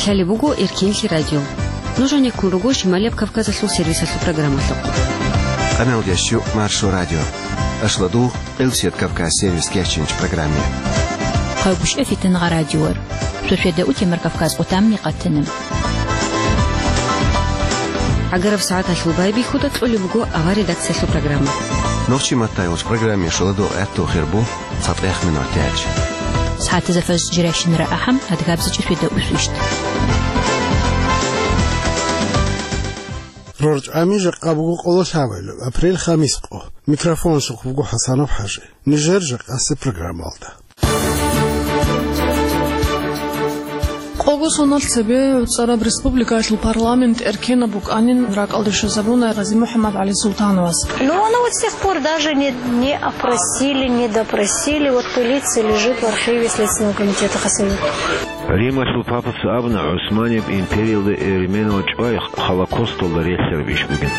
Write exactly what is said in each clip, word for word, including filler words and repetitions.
Лъалеб буго Эркенлъи радио. Нуж гьанеккун руго Шималияб Кавказалъул сервисалъул программалъухъ. Къаналдящу Маршо радио. Ашладу Къилсият Кавказ сервис кеченч программе. Хъайгушев Фитнагъа радиор. Суседа утемар Кавказ утамни къатана. ГӀагараб сагӀаталъул байбихьуда кьолеб буго авар редакциялъул программа. Нохчи маттайгъуч программе шаладу гӀатту хирбу. ЦатӀех минутач. СагӀатазда фаз жирайщинара ахӀам, адгабзичӀи светда усвищ. РорчӀами жакъа буго къоло лъабайлу, апрель хамис къо. Микрофон щухъ буго ХӀасанов ХӀажи. Нижер жакъасе программалда. Къого соналъ цебе ГӀуцӀараб Республикаялъул парламент эркенаб букӀанин ракӀалде щвезабуна Гъази МухӀаммад ГӀали Султановас. Но оно вот с тех пор даже не, не опросили, не допросили. Вот пылится, лежит в архиве Следственного комитета Хасавюрта. Рималъул папас абуна ГӀусманияб империялда эрименал чӀвай Холокосталда релълъараб иш бугин.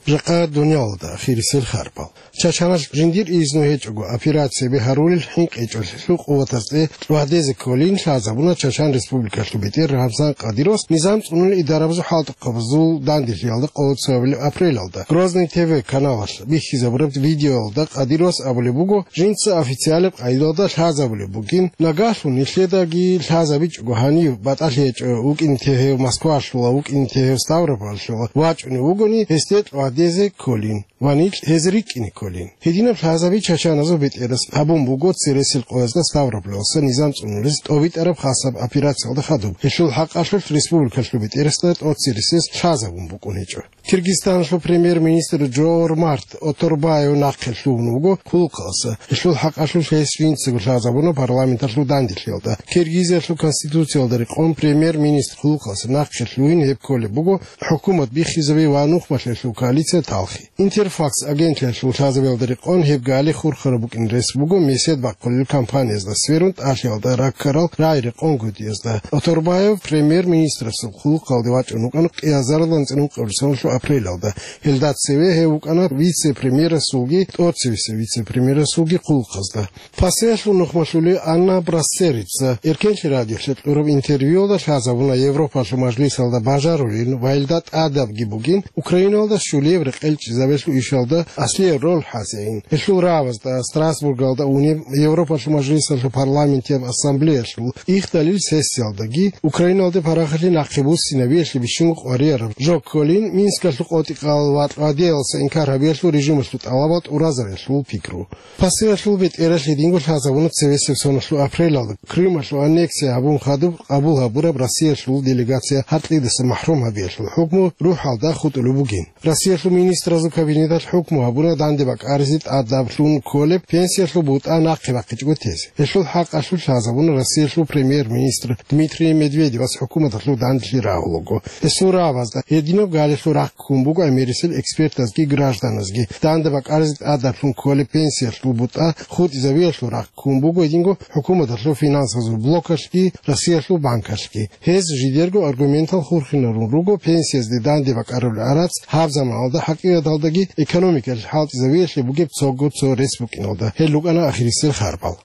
Жакъа дуниялалда ахирисел харпал. Чачаналъ жиндир изну гьечӀого операцияби гьарулел хӀинкъичӀолъулъул къуватаз тӀе лъугьадезе кколин лъазабуна Чачан Республикалъул бетӀер Рамзан Кадыровас низам цӀунулел идарабазул хӀалтӀухъабазул данделъиялда къоло цоабилеб апрелалда. Грозный Т В каналалъ бихьизабураб видеоялда Кадыровас абулеб буго, жинца официалаб къайдалда лъазабулеб бугин, нагагьлъун нилъедаги лъазабичӀого гьанив батӀалъи гьечӀо вукӀине тевгьев Москвалъула, вукӀине тевгьев Ставрополалъула вачӀунев вугони, гьесде лъугьадезе кколин ва нилъ гьез рикӀкӀине кколин. Гьединаб лъазаби чачаназул бетӀерас гьабун буго цересел къоязда Ставрополалъа низам цӀунулез тӀобитӀараб хасаб операциялда хадуб. Гьелъул хӀакъалъулъ республикалъул бетӀерасда тӀоцересез лъазабун букӀун гьечӀо. Киргизстаналъул премьер-министр Жовар Март Оторбаев нахъе лъугьун вуго хъулухъалъа. Гьелъул хӀакъалъулъ гьес жинцаго лъазабуна парламенталъул данделъиялда. Киргизиялъул конституциялда рекъон премьер-министр хъулухъалъа нахъе лъугьин гьеб кколеб буго, хӀукумат биххизаби ва нухмалъиялъул коалиция талхи. Интерфакс агентлъиялъул лъазабиялда рекъон гьеб гали хурхараб букӀин рес буго месед бахъулел кампаниязда сверун тӀалъиялда раккарал рагӀи рекъон гьудиязда. Оторбаев премьер-министрасул хъулухъалде вачӀун вукӀана кӀиазарилан цӀинун къабурсаналъул апрелалда. Гьелда цеве гьев вукӀана вице-премьерасулги тӀоцевесев вице-премьерасулги хъулухъазда. Пасеялъул нухмалъулев Анна Брассерица Эркенлъи радиолъе кьураб интервьюялда лъазабуна Европалъул мажлисалда бажарулин ва гьелда тӀадабги бугин Украиналда щулияб рекъелчӀезабиялъул ишалда аслияб роль хӀасеин. Гьелъул рагӀабазда Страсбургалда унеб Европалъул мажлисалъул парламентияб ассамблеялъул ихдалил сессиялдаги Украиналде парахалъи нахъе буссинабиялъе бищунго къварияраб жо кколин Минскалъул къотӀи-къал ва лъугьадеялъа инкар гьабиялъул режималъул тӀалабал тӀуразариялъул пикру. Пасеялъул бетӀералъ гьединго лъазабуна цевесеб соналъул апрелалда Крымалъул аннексия гьабун хадуб къабул гьабураб Россиялъул делегация гьаркьидаса махӀрум гьабиялъул хӀукму рухӀалда хутӀулеб бугин. Россиялъул министразул кабинеталъ хӀукму гьабуна данде бакӀаризе тӀадаблъун кколеб пенсиялъул бутӀа нахъе бахъичӀого тезе. Гьелъул хӀакъалъулъ лъазабуна Россиялъул премьер-министр Дмитрий Медведевас хӀукуматалъул данделъи рагьулаго. Гьесул рагӀабазда гьединаб галилъул рахъ ккун буго гӀемерисел экспертазги гражданазги. Данде бакӀаризе тӀадаблъун кколеб пенсиялъул бутӀа хутӀизабиялъул рахъ ккун буго гьединго хӀукуматалъул финансазул блокалъги Россиялъул банкалъги. Гьез жидерго аргументал хурхинарун руго пенсиязде данде бакӀарулел гӀарац гьаб заманалда хӀакъикъаталдаги экономикалъ хӀалтӀизабиялъе бугеб цого цо рес букӀиналда. Гьел рукӀана ахирисел харпал.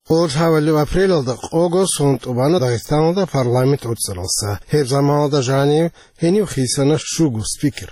Къоло лъабабилеб апрелалда къого сон тӀубана Дагъистаналда парламент гӀуцӀаралса. Гьеб заманалда жанив гьенив хисана щуго спикер.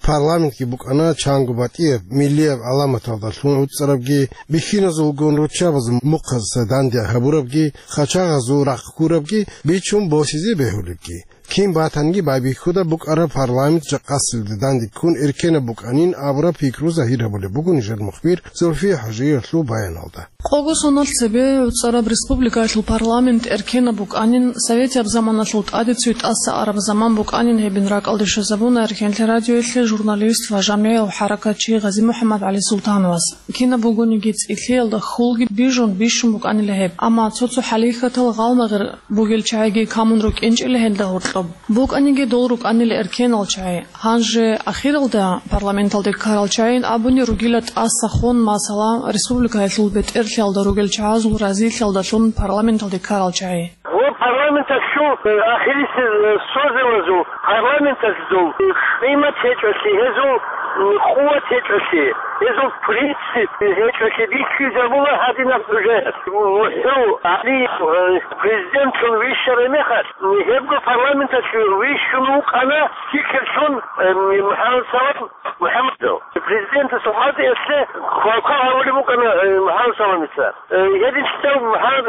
Парламентги букӀана чанго батӀияб, миллияб гӀаламаталдалъун гӀуцӀарабги, бихьиназулгун руччабазул мухъазаса данде гьабурабги, хъачагъазул рахъ ккурабги, бичун босизе бегьулебги. Кин батанги байбихьуда букӀараб парламент жакъасилда данде ккун эркенаб букӀанин абураб пикру загьир гьабулеб буго нижер мухбир Зульфия ХӀажиевалъул баяналда. Къого соналъ цебе гӀуцӀараб республикаялъул парламент эркенаб букӀанин, советияб заманалъул тӀаде цоги тӀаса араб заман букӀанин гьебин ракӀалде щвезабуна Эркенлъи радиоялъе журналист ва жамигӀияв хӀаракатчи Гъази МухӀаммад ГӀали Султановас. Кинаб бугониги цӀилъиялда хьулги бижун бищун букӀанила гьеб, амма цо-цо хӀалихьатал гъалмагъир бугел чагӀиги камун рукӀинчӀила гьелда гьоркьоб. БукӀаниги дол рукӀанила эркенал чагӀи. Гьанже ахиралда парламенталде ккарал чагӀин абуни ругила тӀаса хун, масала, республикаялъул бетӀерлъиялда ругел чагӀазул разилъиялдалъун парламенталде ккарал чагӀи. Гьеб парламенталъ Ахирисел созывазул, парламенталъул къимат гьечӀолъи, гьезул къуват гьечӀолъи, гьезул принцип гьечӀолъи бихьизабула гьадинаб хӀужаят. МухӀу ГӀалиев президентлъун вищарай мехалъ, гьебго парламенталъе вищун вукӀана спикерлъун МухӀаммад Салам МухӀаммадов. Президентасул хӀалтӀиялъе хвалхъа гьавулеб букӀана МухӀаммад Саламица. Гьединлъидал МухӀаммад,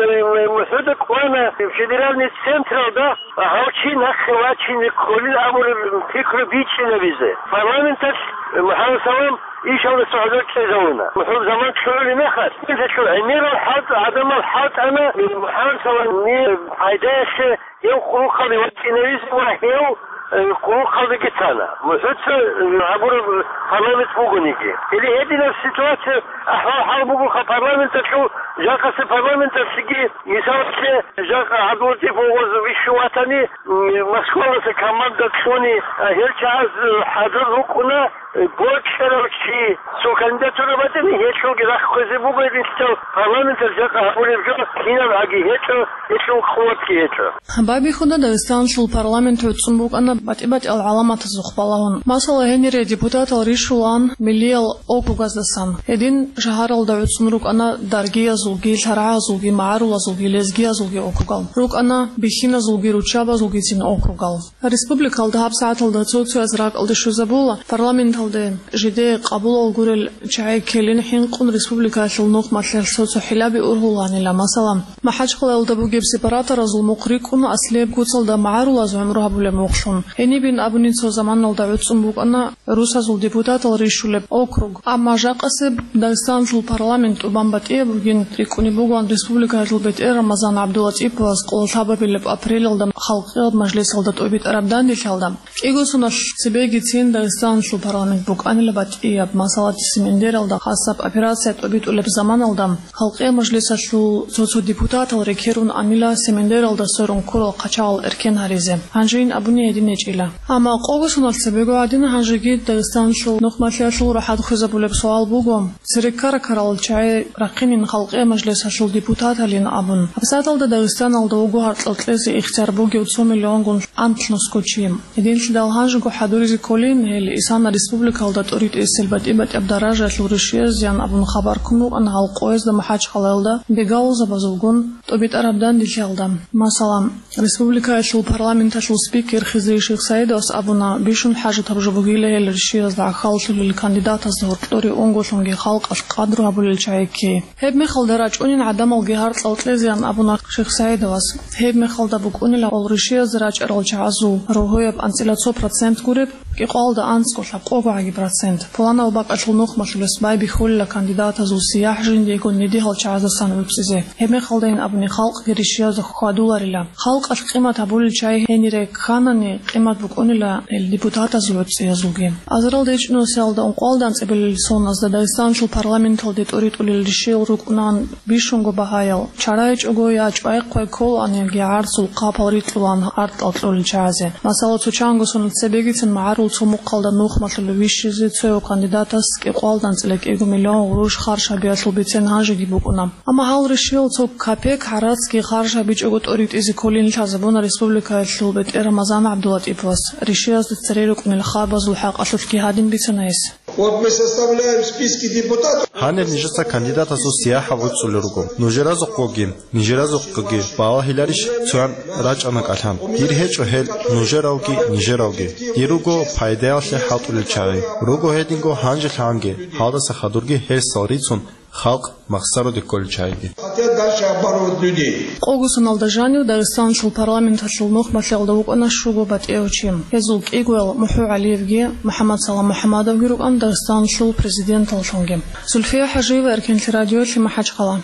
МухӀуда кӀвана федеральный централда, гьав чи нахъе вачине кколин абураб пикру бичӀчӀинабизе. Парламенталъ МухӀаммад Салам ишалдаса гӀодор чӀезавуна. МухӀул заман чӀугӀулеб мехалъ, гьелъул гӀемерал хӀалтӀ, гӀадамал хӀалтӀана МухӀаммад Саламил пайдаялъе гьев къулухъалде вачӀинавизе ва гьев, э, къулухъалдеги тана. МухӀуца, э, гьабураб парламент бугониги. Или гьединаб ситуация, ахӀвал-хӀал бугоха парламенталъул, жакъасе парламенталъеги, мисалалъе, жакъа ГӀабдуллатипов вугоз вищун ватани, м, Москвалдаса команда кьуни, а, гьел чагӀаз, э, хӀадур рукӀуна, э, бокьарав чи, цо кандидатура батӀани, гьелъулги рахъ хвезе буго, гьединлъидал парламенталъ жакъа гьабулеб жо кинабгӀаги гьечӀо, гьелъул къуватги гьечӀо. Байбихьуда Дагъистаналъул парламент гӀуцӀун букӀана батӀи-батӀиял гӀаламатазухъ балагьун. Масала, гьенире депутатал рищулаан миллиял округаздасан. Гьедин шагьаралда гӀуцӀун рукӀана даргиязулги, лъаргӀазулги, магӀарулазулги, лезгиязулги округал. РукӀана бихьиназулги, руччабазулгицин округал. Республикалда гьабсагӀаталда цо-цояз ракӀалде щвезабула, парламенталде жидее къабулал гурел чагӀи ккелин хӀинкъун республикаялъул нухмалъиялъ цо-цо хӀилаби ургьулаанила. Масала, МахӀачхъалаялда бугеб сепараторазул мухъ рикӀкӀуна аслияб куцалда магӀарулаз гӀумру гьабулеб мухълъун. Гьенибин абунин, цо заманалда гӀуцӀун букӀана русазул депутатал рищулеб округ. Амма жакъасеб Дагъистаналъул парламент тӀубан батӀияб бугин рикӀкӀунеб бугоан республикаялъул бетӀер Рамазан ГӀабдулатӀиповас къоло лъабабилеб апрелалда халкъияб мажлисалда тӀобитӀараб данделъалда. КӀиго соналъ цебегицин Дагъистаналъул парламент букӀанила батӀияб, масала, Семендералда хасаб операция тӀобитӀулеб заманалда халкъияб мажлисалъул цо-цо депутатал рекерун анила Семендералда сверун ккурал хъачагъал эркен гьаризе. Гьанжейин абуни гьедин гьечӀила. Амма къого соналъ цебего гӀадин гьанжеги Дагъистаналъул нухмалъиялъул рахӀат хвезабулеб суал буго, цереккара-карал чагӀи рахъинин халкъияб мажлисалъул депутаталин абун. ГьабсагӀаталда Дагъистаналда вуго гьаркьал кьезе ихтияр бугев цо миллионгун анлънусго чи. Гьединлъидал гьанжего хӀадуризе кколин, гьел исана республикалда тӀоритӀисел батӀи-батӀияб даражаялъул ришиязеян абун хабар ккун рукӀана гьал къоязда МахӀачхъалаялда бегалъузабазулгун тӀобитӀараб данделъиялда. Масала, республикаялъул парламенталъул спикер Хизри Шихсаидовас абуна, бищун хӀажатаб жо бугила гьел ришиязда гӀахьаллъулел кандидатазда гьоркьоре унголъунги халкъалъ къадру гьабулел чагӀи ккей. Гьеб мехалда рачӀунин гӀадамалги гьаркьал кьезеян абуна Шихсаидовас. Гьеб мехалда букӀунила гьал ришиязда рачӀарал чагӀазул рогьояб анцӀила цо процент гуреб, кӀикъоялда анцӀго лъабкъого гӀаги процент. Пуланав бакӀалъул нухмалъулес байбихьулила кандидатазул сияхӀ жиндиего недигьал чагӀаздасан гӀуцӀизе. Гьеб мехалдайин абуни халкъги ришиязда хьвадуларила. Халкъалъ къимат гьабулел чагӀи гьенире кканани, къимат букӀунила гьел депутатазул гӀуцӀиязулги. Азаралда ичӀнусиялда ункъоялда анцӀабилел соназда Дагъистаналъул парламенталде тӀоритӀулел ришиял рукӀунаан бищунго багьаял. ЧарайчӀого я чӀвай-хъвай кколаан, яги гӀарцул хъапал рикьулаан гьаркьал кьолел чагӀазе. Масала, цо чанго соналъ цебегицин магӀарул цо мухъалда нухмалъулев вищизе цояв кандидатас кӀикъоялда анцӀила кӀиго миллион гъурущ харж гьабиялъул бицен гьанжеги букӀуна. Амма гьал ришиял цо капек гӀарацги харж гьабичӀого тӀоритӀизе кколин лъазабуна республикаялъул бетӀер Рамазан ГӀабдулатӀиповас. Ришиязда цере рукӀунел хабазул хӀакъалъулъги гьадин бицана гьес. Вот мы составляем списки депутатов. Гьанир нижеца кандидатазул сияхӀ гӀуцӀулел руго. Нужеразухъгоги, нижеразухъгоги балагьиларищ цоян рачӀана кӀалъан? Дир гьечӀо гьел нужералги нижералги. Дир руго пайдаялъе хӀалтӀулел чагӀи. Руго гьединго гьанжелъагӀанги, гьалдаса хадурги гьерсал рицун, халкъ махсароде кколел чагӀиги. Хотят дальше обманывать людей. Къого соналда жанив Дагъистаналъул парламенталъул нухмалъиялда вукӀана щуго батӀияв чи. Гьезул кӀигоял МухӀу ГӀалиевги, МухӀаммад Салам МухӀаммадовги рукӀана Дагъистаналъул президенталлъунги. Зульфия ХӀажиева, Эркенлъи радиоялъе, МахӀачхъала.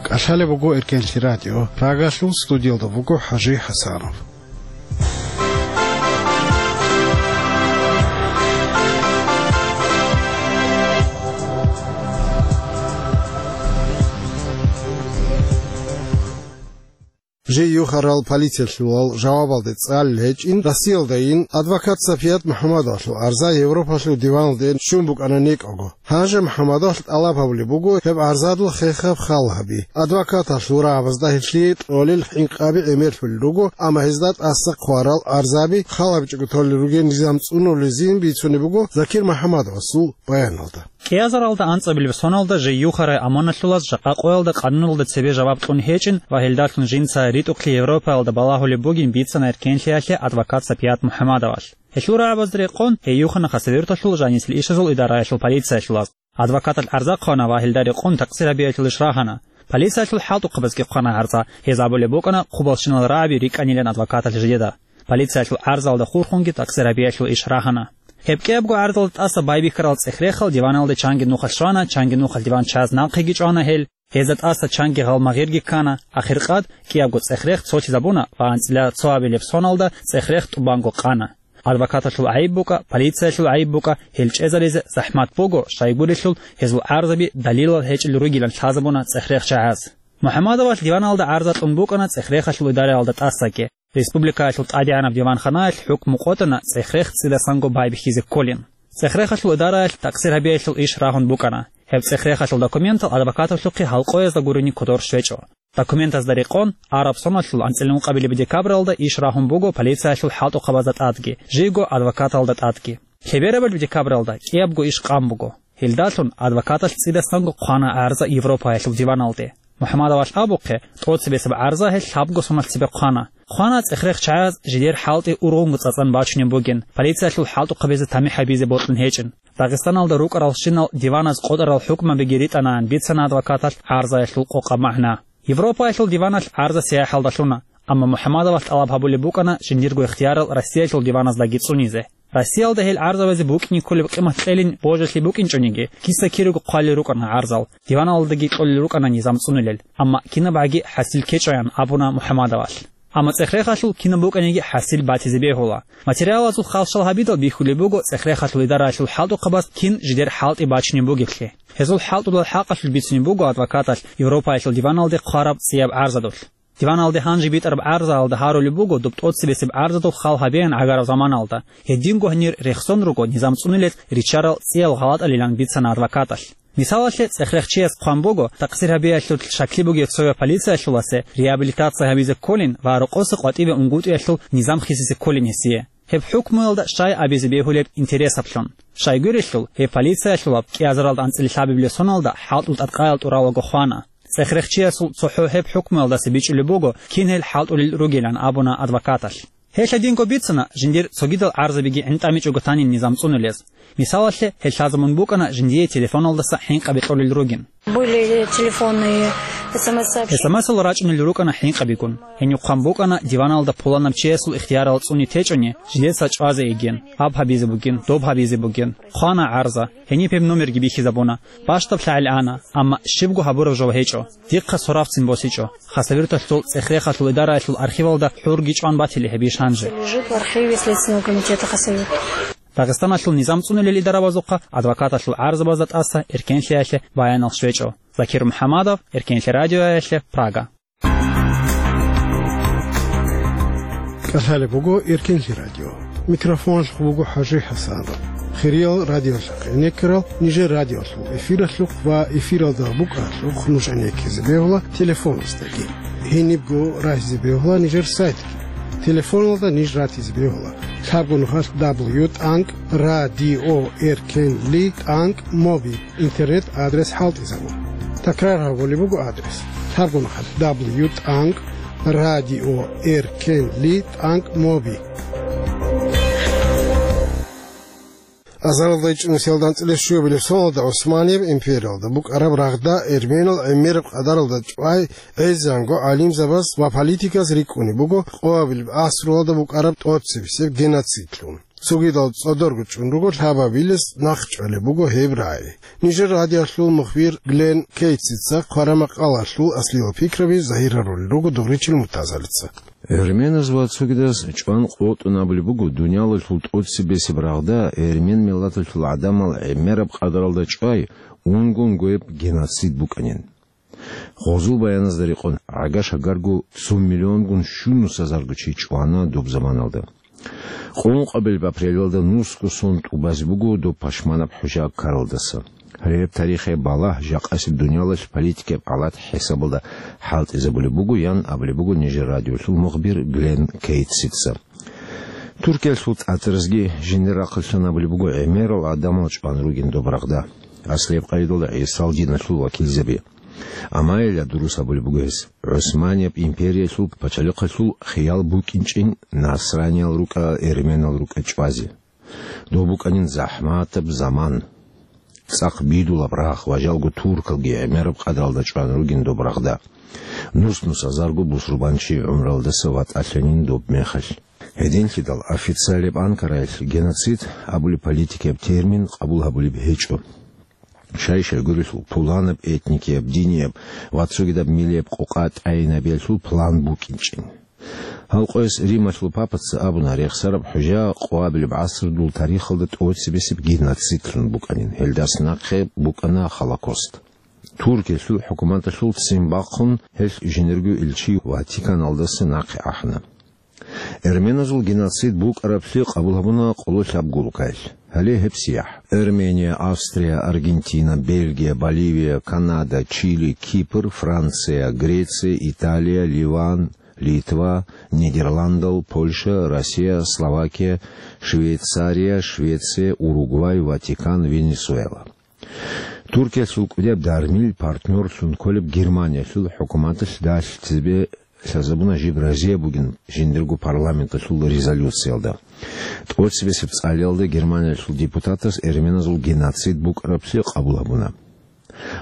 КӀалъалеб буго Эркенлъи радио. Рагалъул студиялда вуго ХӀажи ХӀасанов. Жей юхарал полициялъулал жавабалде цӀалел гьечӀин, Россиялдайин адвокат Сапият МухӀаммадовалъул арза Европалъул диваналде щун букӀана некӀого. Гьанже МухӀаммадовалъ тӀалаб гьабулеб буго гьеб арзадул хехаб хал гьаби. Адвокаталъул рагӀабазда гьелъие кьолел хӀинкъаби гӀемерлъулел руго, амма гьезда тӀаса хъварал арзаби хал гьабичӀого толел ругел низам цӀунулезин бицунеб буго Закир МухӀаммадовасул баяналда. КӀиазаралда анцӀабилеб соналда жей юхарай аманалъулаз жакъа къоялда къануналда цебе жаваб кьун гьечӀин ва гьелдалъун жинца ритӀухълъи Европаялда балагьулеб бугин бицана эркенлъиялъе адвокат Сапият МухӀаммадовалъ. Гьелъул рагӀабазда рекъон, гьей юхана Хасавюрталъул жанисел ишазул идараялъул полициялъулаз. Адвокаталъ гӀарза хъвана ва гьелда рекъон такъсир гьабиялъул иш рагьана. Полициялъул хӀалтӀухъабазги хъвана гӀарза, гьез абулеб букӀана хъубалщинал рагӀаби рикӀкӀанилан адвокаталъ жидеда. Полициялъул гӀарзалда хурхунги такъсир гьабиялъул иш рагьана. Гьеб кӀиябго гӀарзалда тӀаса байбихьарал цӀех-рехал диваналде чанги нухалъ щвана, чанги нухалъ диван чаз нахъеги чӀвана гьел, гьезда тӀаса чанги гъалмагъирги ккана, ахиркъад кӀиябго цӀех-рех цолъизабуна ва анцӀила цо абилеб соналда цӀех-рех тӀубанго къана. Адвокаталъул гӀайиб букӀа, полициялъул гӀайиб букӀа, гьел чӀезаризе захӀмат буго, щайгурелъул гьезул гӀарзаби далилал гьечӀел ругилан лъазабуна цӀех-рех чагӀаз. МухӀаммадовалъ диваналда гӀарза кьун букӀана цӀех-рехалъул идараялда тӀасаги. Республикаялъул тӀадегӀанаб диванханаялъ хӀукму къотӀана цӀех-рех цӀидасанго байбихьизе кколин. ЦӀех-рехалъул идараялъ такъсир гьабиялъул иш рагьун букӀана. Гьеб цӀех-рехалъул документал адвокаталъухъе гьалкъоязда гурони кодор щвечӀо. Документазда рекъон, араб соналъул анцӀила ункъабилеб декабралда иш рагьун буго полициялъул хӀалтӀухъабазда тӀадги, жийго адвокаталда тӀадги. Лъеберабалеб декабралда кӀиябго иш къан буго. Гьелдалъун адвокаталъ цӀидасанго хъвана гӀарза Европаялъул диваналде. МухӀаммадовалъ абухъе, тӀоцебесеб гӀарза гьел лъабго соналъ цебе хъвана. Хъвана цӀех-рех чагӀаз жидер хӀалтӀи ургъунго цӀацӀан бачунеб бугин, полициялъул хӀалтӀухъабизе тамихӀ гьабизе бокьун гьечӀин. Дагъистаналда рукӀаралщинал диваназ къотӀарал хӀукмабиги ритӀанаан бицана адвокаталъ гӀарзаялъул къокъаб магӀна. Европаялъул диваналъ гӀарза сияхӀалда лъуна, амма МухӀаммадовалъ тӀалаб гьабулеб букӀана жиндирго ихтиярал Россиялъул диваназдаги цӀунизе. Россиялда гьел гӀарзабазе букӀине кколеб къимат кьелин божалъи букӀинчӀониги, киса-кириго хъвалел рукӀана гӀарзал, диваналдаги кьолел рукӀана низам цӀунулел, амма кинабгӀаги хӀасил ккечӀоян абуна МухӀаммадовалъ. Амма цӀех-рехалъул кинаб букӀаниги хӀасил батизе бегьула. Материалазул халщал гьабидал бихьулеб буго цӀех-рехалъул идараялъул хӀалтӀухъабаз кин жидер хӀалтӀи бачунеб бугеблъи. Гьезул хӀалтӀулал хӀакъалъулъ бицунеб буго адвокаталъ Европаялъул диваналде хъвараб цӀияб гӀарзадулъ. Диваналде гьанже битӀараб гӀарзаялда гьарулеб буго доб тӀоцебесеб гӀарзадул хал гьабеян гӀагараб заманалда, гьединго гьанир рехсон руго низам цӀунулез риччарал цӀиял гъалатӀалилан бицана адвокаталъ. Мисалалъе, цӀех-рех чияс хъван буго, такъсир гьабиялъул шаклъи бугев цояв полициялъуласе реабилитация гьабизе кколин ва рокъоса къватӀибе унгутӀиялъул низам хисизе кколин гьесие. Гьеб хӀукмуялда щай абизе бегьулеб интересаблъун. Щайгурелъул, гьеб полициялъулаб кӀиазаралда анцӀила лъабабилеб соналда хӀалтӀул тӀадкъаял тӀуралаго хвана. ЦӀех-рех чиясул цохӀо гьеб хӀукмуялдаса бичӀчӀулеб буго, кин гьел хӀалтӀулел ругилан абуна адвокаталъ. Гьелъ гьединго бицана, жиндир цогидал гӀарзабиги гӀинтӀамичӀого танин низам цӀунулез. Мисалалъе, гьел лъазабун букӀана жиндие телефоналдаса хӀинкъаби кьолел ругин. Были телефонные СМС-сообщения. СМС-ал рачӀунел рукӀана хӀинкъабигун. Гьенив хъван букӀана диваналда пуланаб чиясул ихтиярал цӀуни течӀони, жидеца чӀвазе йигин, гьаб гьабизе бугин, доб гьабизе бугин. Хъвана гӀарза, гьениб гьеб номерги бихьизабуна. Бащдаб лъагӀел ана, амма щибго гьабураб жо гьечӀо. Дихъа соравцин босичӀо. Хасавюрталъул цӀех-рехалъул идараялъул архивалда хӀурги чӀван батили гьеб иш гьанже. Лежит в архиве Следственного комитета Хасавюрт. Дагъистаналъул низам цӀунулел идарабазухъа адвокаталъул гӀарзабазда тӀаса эркенлъиялъе баянал щвечӀо. Закир МухӀаммадов, Эркенлъи радиоялъе, Прага. КӀалъалеб буго Эркенлъи радио. Микрофоналъухъ буго ХӀажи ХӀасанов. Хириял радиолъухъ гӀенеккарал нижер радиолъул эфиралъухъ ва эфиралда букӀаралъухъ нуж гӀенеккизе бегьула телефоназдаги. Гьенибго рагьизе бегьула нижер сайтги. Телефоналда ниж ратизе бегьула. Лъабго нухалъ дабл ю тӀанкӀ радио эркенли тӀанкӀ моби интернет адрес хӀалтӀизабун. Такрар гьабулеб буго адрес. Лъабго нухалъ дабл ю тӀанкӀ радио эркенли тӀанкӀ моби. Азаралда ичӀнусиялда анцӀила щуабилеб соналда ГӀусманияб империялда букӀараб рагъда эрменал гӀемераб къадаралда чӀвай гӀезегӀанго гӀалимзабаз ва политиказ рикӀкӀунеб буго къоабилеб гӀасруялда букӀараб тӀоцебесеб геноцидлъун. Цогидал цӀодорго чӀун руго лъабабилес нахъчӀвалеб буго гьеб рагӀи. Нижер радиолъул мухбир Глен Кейтсица хъвараб макъалалъул аслиял пикраби загьир гьарулел руго Дугъричил Муртазалица. Эрменаз ва цогидаз чӀван къотӀун абулеб буго дуниялалъул тӀоцебесеб рагъда эрмен миллаталъул гӀадамал гӀемераб къадаралда чӀвай унго-унгояб геноцид букӀанин. Гъозул баяназда рекъон, гӀага-шагарго цо миллионгун щунусазарго чи чӀвана доб заманалда. Къуллъухъабилеб апрелалда нусго сон тӀубазе буго доб пашманаб хӀужа ккаралдаса. Гьеб тарихияб балагь жакъасеб дуниялалъ политикияб гӀалат хӀисабалда хӀалтӀизабулеб буго, ян абулеб буго нижер радиолъул мухбир Глен Кейтсица. Туркиялъул тӀатӀаразги жиндир рахъалъан абулеб буго гӀемерал гӀадамал чӀван ругин доб рагъда, аслияб къагӀидалда гӀисал диналъул вакилзаби. Амма гьелда дурус абулеб буго гьес, ГӀусманияб империялъул пачалихъалъул хиял букӀинчӀин насраниял рукӀа, эрменал рукӀа чӀвазе. Доб букӀанин захӀматаб заман. ЦӀакъ бидулаб рагъ ва жалго туркалги гӀемераб къадаралда чӀван ругин доб рагъда. Нус-нусазарго бусурбанчи гӀумралдаса ватӀалъанин доб мехалъ. Гьединлъидал официалияб Анкараялъ геноцид абулеб политикияб термин къабул гьабулеб гьечӀо. Щай-щайгурелъул пуланаб этникияб, динияб ва цогидаб миллияб къокъа тӀайинабиялъул план букӀинчӀин. Гьал къояс Рималъул папаца абуна, рехсараб хӀужа къоабилеб гӀасрудул тарихалда тӀоцебесеб геноцидлъун букӀанин, гьелдас нахъе букӀана Холокост. Туркиялъул хӀукуматалъул ццин бахъун, гьелъ жиндирго илчи Ватиканалдаса нахъе ахӀана. Эрменазул геноцид букӀараблъи къабул гьабуна къоло лъабго улкаялъ. Гьале гьеб сияхӀ: Эрмения, Австрия, Аргентина, Бельгия, Боливия, Канада, Чили, Кипр, Франция, Греция, Италия, Ливан, Литва, Нидерландал, Польша, Россия, Словакия, Швейцария, Швеция, Уругвай, Ватикан, Венесуэла. Туркиялъул кӀудияб дармил партнёрлъун кколеб Германиялъул хӀукуматалъ далъ цебе лъазабуна жиб разияб бугин жиндирго парламенталъул резолюциялда. ТӀоцебесеб цӀалиялда Германиялъул депутатас эрменазул геноцид букӀараблъи къабул гьабуна.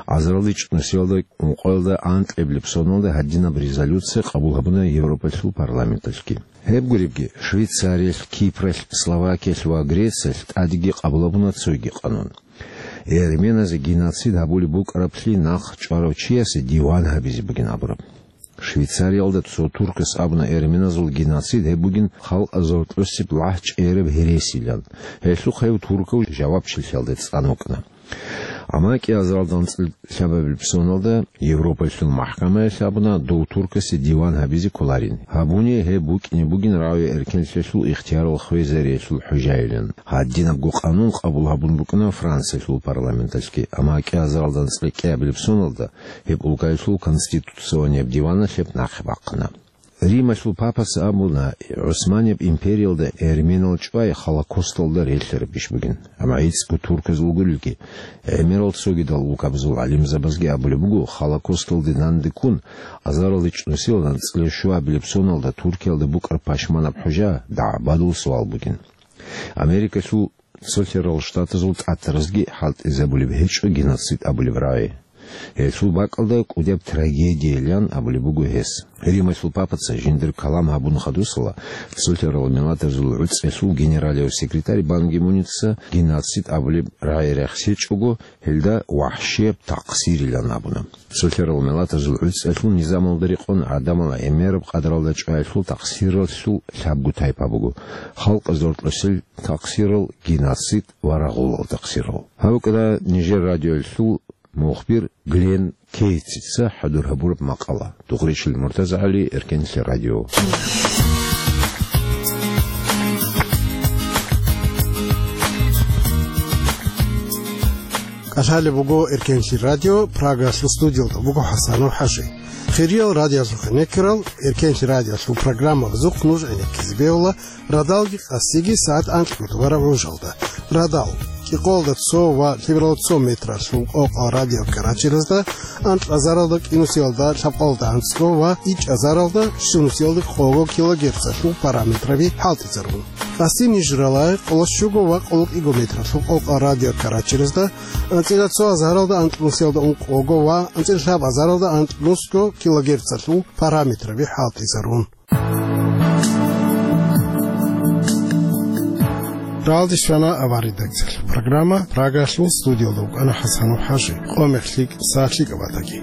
Азаралде чӀунусиялда ункъоялда анкьабилеб соналда гьадинаб резолюция къабул гьабуна Европалъул парламенталъги. Гьеб гуребги, Швейцариялъ, Кипралъ, Словакиялъ ва Грециялъ тӀадеги къабул гьабуна цоги къанун. Эрменазе геноцид гьабулеб букӀараблъи нахъ чӀварав чиясе диван гьабизе бугин абураб. Швейцариялда цо туркас абуна, эрменазул геноцид гьеб бугин халкъазул тӀоцеб лагъчӀераб гьересилан. Гьелъухъ гьев туркав жавабчилъиялде цӀан вукӀана. Амма кӀиазаралда анцӀила лъабабилеб соналда Европалъул махӀкамаялъ абуна, дов туркасе диван гьабизе кколарин. Гьабуни гьеб букӀине бугин равиа эркенлъиялъул ихтиярал хвезариялъул хӀужайилан. Гьадинабго къанун къабул гьабун букӀана Франциялъул парламенталъги, амма кӀиазаралда анцӀила кӀиабилеб соналда гьеб улкаялъул конституционияб диваналъ гьеб нахъе бахъана. Рималъул папас абуна, ГӀусманияб империялда эрменал чӀвай Холокосталда релълъараб иш бугин. Амма гӀицӀго турказ вугулелги, гӀемерал цогидал улкабазул гӀалимзабазги абулеб буго, Холокосталде данде ккун, азаралде чӀунусиялда анцӀила щуабилеб соналда Туркиялда букӀараб пашманаб хӀужа дагӀбадул суал бугин. Америкалъул Цолъарал Штатазул тӀатаразги хӀалтӀизабулеб гьечӀо геноцид абулеб рагӀи. Гьелъул бакӀалда кӀудияб трагедиялъан абулеб буго гьес. Рималъул папаца жиндир калам гьабун хадусала, Цолъарал Миллатазул ГӀуцӀиялъул генералияв секретарь Бан Ги-Муница геноцид абулеб рагӀи рехсечӀого, гьелда вахӀшияб такъсирилан абуна. Цолъарал Миллатазул ГӀуцӀиялъул низамалда рекъон гӀадамал гӀемераб къадаралда чӀваялъул такъсиралъул лъабго тайпа буго: халкъазул тӀоцел такъсирал, геноцид ва рагъулал такъсирал. Гьаб букӀана нижер радиоялъул мухбир Глен Кейтсица хӀадур гьабураб макъала. Дугъричил МуртазагӀали, Эркенлъи радио. КӀалъалеб буго Эркенлъи радио, Прагалъул студиялда буго ХӀасанов ХӀажи. Хириял радиоялъухъе некерал, Эркенлъи радиоялъул программабазухъ нуж гӀенеккизе бегьула радалги къасиги сагӀат анкьго тӀубараб гӀужалда. Радал, кӀикъоялда цо ва лъабго метралъул къокъал радиокаратчеразда, анкьазаралда кӀинусиялда лъабкъоялда анцӀго ва ичӀазаралда щунусиялда къого килогерцалъул параметраби хӀалтӀизарун. Къаси ниж рала къоло щуго ва къоло кӀиго метралъул къокъал радиокаратчеразда, анцӀила цо азаралда анкьнусиялда ункъого ва анцӀила лъаб азаралда анкьнусго килогерцалъул параметраби хӀалтӀизарун. Ралдис вана аваридакцал. Программа Прагалъул студиялда вукӀана ХӀасанов ХӀажи. Къо мехлъикӀ, сахлъикӀ батаги.